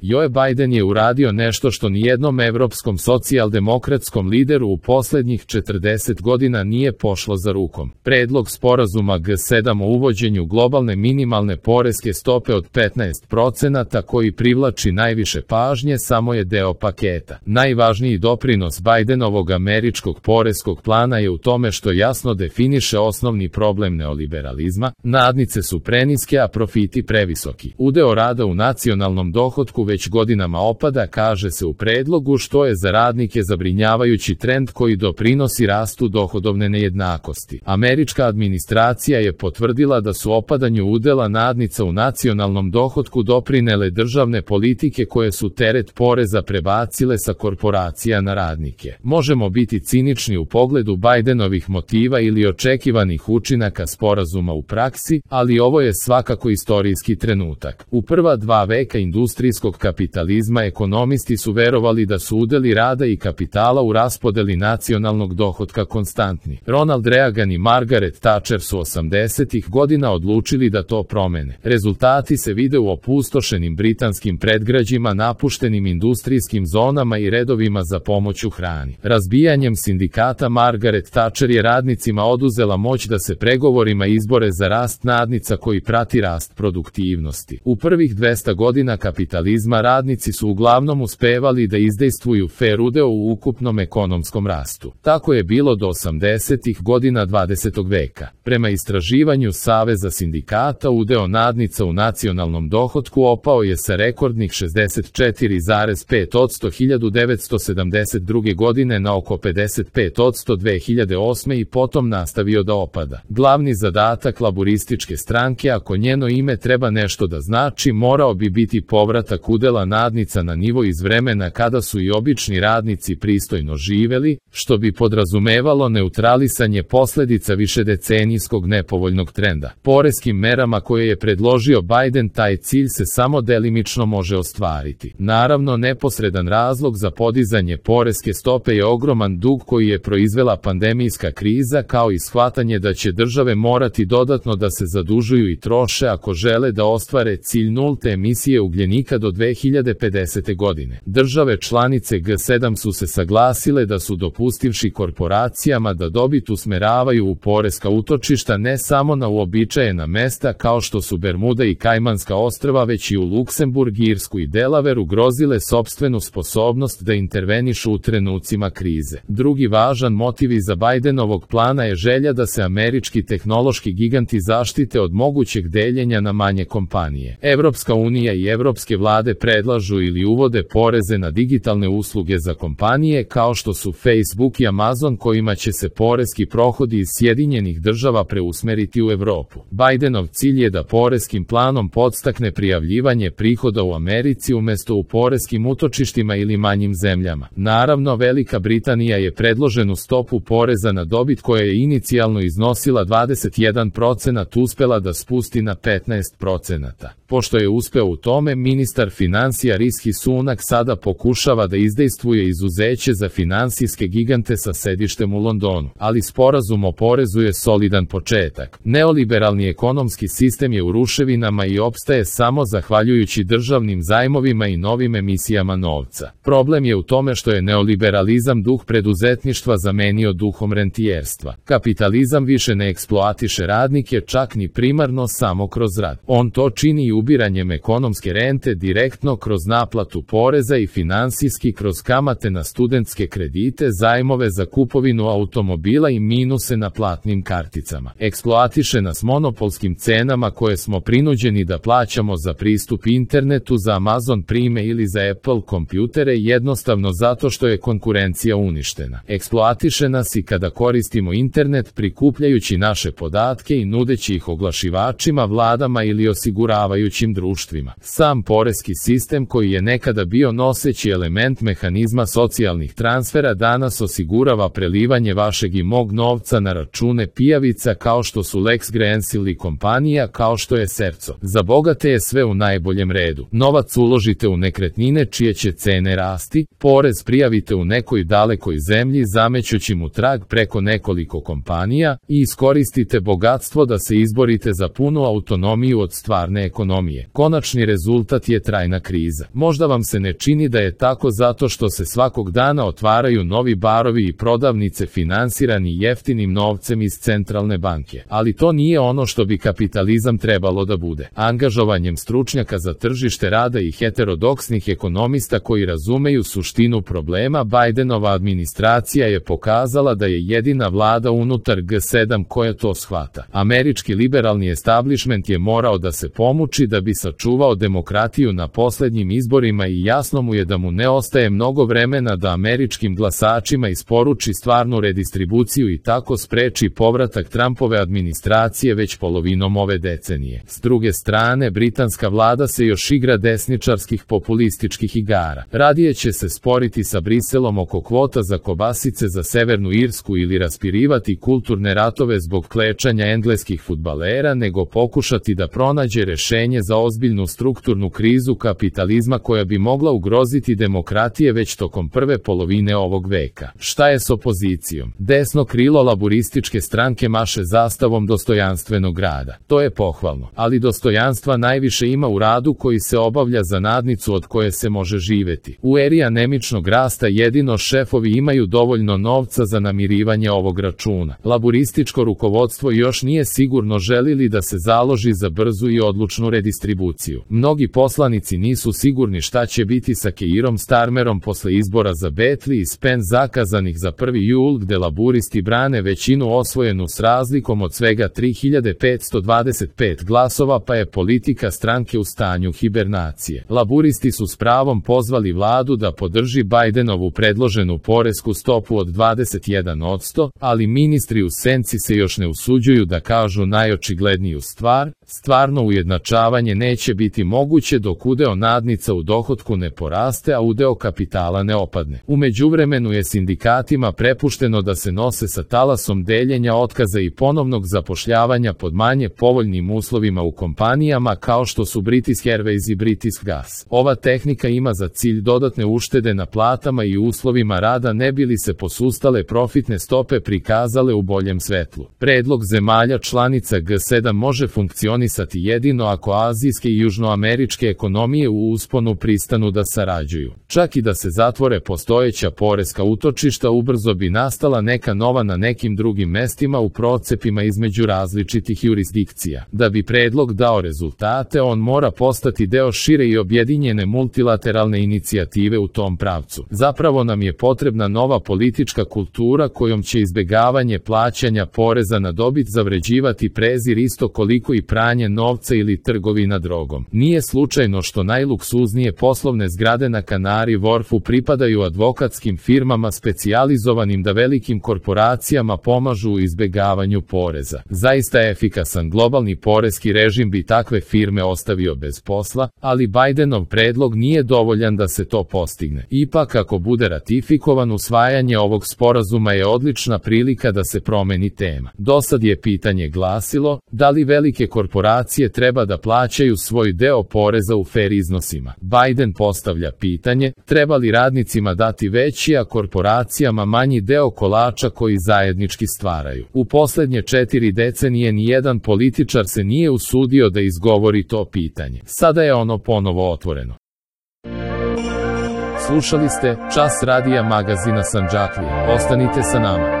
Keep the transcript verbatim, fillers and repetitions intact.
Joe Biden je uradio nešto što nijednom evropskom socijaldemokratskom lideru u posljednjih četrdeset godina nije pošlo za rukom. Predlog sporazuma G sedam o uvođenju globalne minimalne poreske stope od petnaest procenata koji privlači najviše pažnje samo je deo paketa. Najvažniji doprinos Bidenovog američkog poreskog plana je u tome što jasno definiše osnovni problem neoliberalizma. Nadnice su preniske, a profiti previsoki. Udeo rada u nacionalnom dohotku već godinama opada, kaže se u predlogu, što je za radnike zabrinjavajući trend koji doprinosi rastu dohodovne nejednakosti. Američka administracija je potvrdila da su opadanju udela nadnica u nacionalnom dohotku doprinele državne politike koje su teret poreza prebacile sa korporacija na radnike. Možemo biti cinični u pogledu Bidenovih motiva ili očekivanih učinaka sporazuma u praksi, ali ovo je svakako istorijski trenutak. U prva dva veka industrijskog kapitalizma ekonomisti su verovali da su udeli rada i kapitala u raspodeli nacionalnog dohotka konstantni. Ronald Reagan i Margaret Thatcher su osamdesetih godina odlučili da to promene. Rezultati se vide u opustošenim britanskim predgrađima, napuštenim industrijskim zonama i redovima za pomoć u hrani. Razbijanjem sindikata Margaret Thatcher je radnicima oduzela moć da se pregovorima izbore za rast nadnica koji prati rast produktivnosti. U prvih dvesta godina kapitalizma radnici su uglavnom uspevali da izdejstvuju fer udeo u ukupnom ekonomskom rastu. Tako je bilo do osamdesetih godina dvadesetog veka. Prema istraživanju Saveza sindikata, udeo nadnica u nacionalnom dohotku opao je sa rekordnih šezdeset četiri zarez pet posto hiljadu devetsto sedamdeset druge godine na oko pedeset pet posto dve hiljade osme i potom nastavio da opada. Glavni zadatak laburističke stranke, ako njeno ime treba nešto da znači, morao bi biti povratak udela nadnica na nivo iz vremena kada su i obični radnici pristojno živeli, što bi podrazumevalo neutralisanje posledica višedecenijskog nepovoljnog trenda. Poreskim merama koje je predložio Biden taj cilj se samo delimično može ostvariti. Naravno, neposredan razlog za podizanje poreske stope je ogroman dug koji je proizvela pandemijska kriza, kao i shvatanje da će države morati dodatno da se zadužuju i troše ako žele da ostvare cilj nulte emisije ugljenika do dve hiljade pedesete. godine. Države članice G sedam su se saglasile da su dopustivši korporacijama da dobit usmeravaju u poreska utočišta ne samo na uobičajena mesta kao što su Bermuda i Kajmanska ostrva, već i u Luksemburg, Irsku i Delaware, ugrozile sopstvenu sposobnost da intervenišu u trenucima krize. Drugi važan motiv iza Bidenovog plana je želja da se američki tehnološki giganti zaštite od mogućeg deljenja na manje kompanije. Evropska unija i evropske vlade predlažu ili uvode poreze na digitalne usluge za kompanije kao što su Facebook i Amazon, kojima će se poreski prohodi iz Sjedinjenih država preusmeriti u Evropu. Bidenov cilj je da poreskim planom podstakne prijavljivanje prihoda u Americi umesto u poreskim utočištima ili manjim zemljama. Naravno, Velika Britanija je predloženu stopu poreza na dobit koja je inicijalno iznosila dvadeset jedan procenat uspela da spusti na petnaest procenata. Pošto je uspeo u tome, ministar finansija Rishi Sunak sada pokušava da izdejstvuje izuzeće za finansijske gigante sa sedištem u Londonu. Ali sporazum o porezu je solidan početak. Neoliberalni ekonomski sistem je u ruševinama i opstaje samo zahvaljujući državnim zajmovima i novim emisijama novca. Problem je u tome što je neoliberalizam duh preduzetništva zamenio duhom rentijerstva. Kapitalizam više ne eksploatiše radnike čak ni primarno samo kroz rad. On to čini i ubiranjem ekonomske rente direktno kroz naplatu poreza i finansijski kroz kamate na studentske kredite, zajmove za kupovinu automobila i minuse na platnim karticama. Eksploatiše nas monopolskim cenama koje smo prinuđeni da plaćamo za pristup internetu, za Amazon Prime ili za Apple kompjutere, jednostavno zato što je konkurencija uništena. Eksploatiše nas i kada koristimo internet prikupljajući naše podatke i nudeći ih oglašivačima, vladama ili osiguravajućim društvima. Sam poreski sistem, koji je nekada bio noseći element mehanizma socijalnih transfera, danas osigurava prelivanje vašeg i mog novca na račune pijavica kao što su LexGrants ili kompanija kao što je Serco. Za bogate je sve u najboljem redu. Novac uložite u nekretnine čije će cene rasti, porez prijavite u nekoj dalekoj zemlji zamećući mu trag preko nekoliko kompanija i iskoristite bogatstvo da se izborite za punu autonomiju od stvarne ekonomije. Konačni rezultat je trajno dugotrajna kriza. Možda vam se ne čini da je tako zato što se svakog dana otvaraju novi barovi i prodavnice finansirani jeftinim novcem iz centralne banke, ali to nije ono što bi kapitalizam trebalo da bude. Angažovanjem stručnjaka za tržište rada i heterodoksnih ekonomista koji razumeju suštinu problema, Bidenova administracija je pokazala da je jedina vlada unutar G sedam koja to shvata. Američki liberalni establishment je morao da se pomuči da bi sačuvao demokratiju na poslednjim izborima i jasno mu je da mu ne ostaje mnogo vremena da američkim glasačima isporuči stvarnu redistribuciju i tako spreči povratak Trumpove administracije već polovinom ove decenije. S druge strane, britanska vlada se još igra desničarskih populističkih igara. Radije će se sporiti sa Briselom oko kvota za kobasice za Severnu Irsku ili raspirivati kulturne ratove zbog klečanja engleskih fudbalera, nego pokušati da pronađe rešenje za ozbiljnu strukturnu krizu kapitalizma koja bi mogla ugroziti demokratije već tokom prve polovine ovog veka. Šta je s opozicijom? Desno krilo laburističke stranke maše zastavom dostojanstvenog rada. To je pohvalno, ali dostojanstva najviše ima u radu koji se obavlja za nadnicu od koje se može živeti. U eri anemičnog rasta jedino šefovi imaju dovoljno novca za namirivanje ovog računa. Laburističko rukovodstvo još nije sigurno želili da se založi za brzu i odlučnu redistribuciju. Mnogi poslanici nisu sigurni šta će biti sa Keirom Starmerom posle izbora za Betli i Spen zakazanih za prvi jul, gde laburisti brane većinu osvojenu s razlikom od svega tri hiljade petsto dvadeset pet glasova, pa je politika stranke u stanju hibernacije. Laburisti su s pravom pozvali vladu da podrži Bidenovu predloženu poresku stopu od dvadeset jedan posto, ali ministri u senci se još ne usuđuju da kažu najočigledniju stvar: stvarno ujednačavanje neće biti moguće dok udeo nadnica u dohotku ne poraste, a udeo kapitala ne opadne. U međuvremenu je sindikatima prepušteno da se nose sa talasom deljenja otkaza i ponovnog zapošljavanja pod manje povoljnim uslovima u kompanijama kao što su British Airways i British Gas. Ova tehnika ima za cilj dodatne uštede na platama i uslovima rada ne bi li se posustale profitne stope prikazale u boljem svetlu. Predlog zemalja članica G sedam može funkcionisati jedino ako azijske i južnoameričke ekonomije u usponu pristanu da sarađuju. Čak i da se zatvore postojeća poreska utočišta, ubrzo bi nastala neka nova na nekim drugim mestima u procepima između različitih jurisdikcija. Da bi predlog dao rezultate, on mora postati deo šire i objedinjene multilateralne inicijative u tom pravcu. Zapravo nam je potrebna nova politička kultura kojom će izbegavanje plaćanja poreza na dobit zavređivati prezir isto koliko i pranje novca ili trgovina drogom. Nije slučajno što najluksuznije poslovne zgrade na Kanari Wharfu pripadaju advokatskim firmama specijalizovanim da velikim korporacijama pomažu u izbegavanju poreza. Zaista efikasan globalni poreski režim bi takve firme ostavio bez posla, ali Bidenov predlog nije dovoljan da se to postigne. Ipak, ako bude ratifikovan, usvajanje ovog sporazuma je odlična prilika da se promeni tema. Dosad je pitanje glasilo: da li velike korporacije treba da plaćaju svoj deo poreza u fer iznosima? Biden postavlja pitanje: treba li radnicima dati veći, a korporacijama manji deo kolača koji zajednički stvaraju? U poslednje četiri decenije nijedan političar se nije usudio da izgovori to pitanje. Sada je ono ponovo otvoreno. Slušali ste Čas radija magazina Sandžaklija. Ostanite sa nama.